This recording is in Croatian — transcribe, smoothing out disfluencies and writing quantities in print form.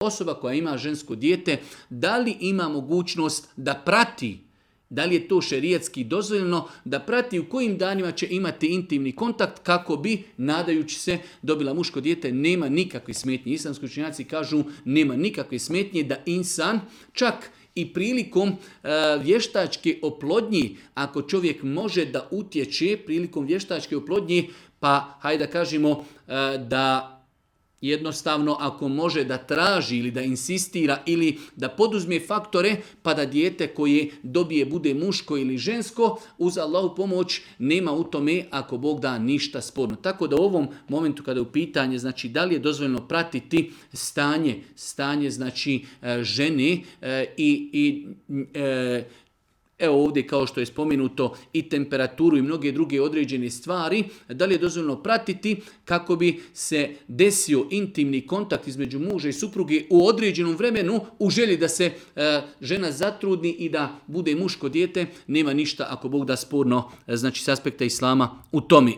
osoba koja ima žensko dijete, da li ima mogućnost da prati, da li je to šerijatski dozvoljeno, da prati u kojim danima će imati intimni kontakt kako bi, nadajući se, dobila muško dijete. Nema nikakve smetnje. Islamski učenjaci kažu nema nikakve smetnje da insan čak i prilikom vještačke oplodnje, ako čovjek može da utječe prilikom vještačke oplodnje, pa hajde da kažemo da jednostavno ako može da traži ili da insistira ili da poduzme faktore pa da dijete koje dobije bude muško ili žensko, uz Allahu pomoć nema u tome ako Bog da ništa sporno. Tako da u ovom momentu kada je u pitanje znači da li je dozvoljeno pratiti stanje znači žene i evo ovdje kao što je spomenuto i temperaturu i mnoge druge određene stvari, da li je dozvoljeno pratiti kako bi se desio intimni kontakt između muža i supruge u određenom vremenu u želji da se žena zatrudni i da bude muško dijete, nema ništa ako Bog da sporno znači s aspekta islama u tome.